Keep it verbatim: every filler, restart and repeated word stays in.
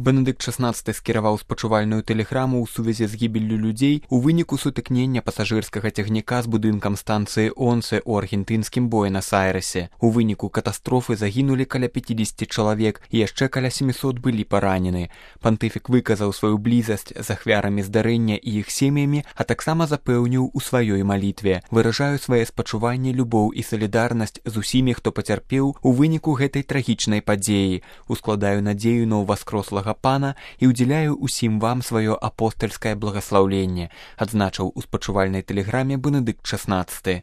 Бенедыкт шаснаццаты скіраваў спачувальную тэлеграму ў сувязі з гібеллю людзей у выніку сутыкнення пасажырскага цягніка з будынкам станцыі Онсе ў аргентынскім Буэнас-Айрэсе. У выніку катастрофы загінулі каля пяцідзесяці чалавек і яшчэ каля сямісот былі паранены. Пантыфік выказаў сваю блізасць з ахвярамі здарэння і іх сем'ямі, а таксама запэўніў у сваёй малітве: «Выражаю свае спачуванні, любоў і салідарнасць з усімі, хто пацярпеў у выніку гэтай трагічнай падзеі. Ускладаю надзею на ўваскрослага Пана і ўдзяляю усім вам сваё апостальскае благаслаўленне», адзначыў у спачувальнай тэлеграме Бенедыкт шаснаццаты.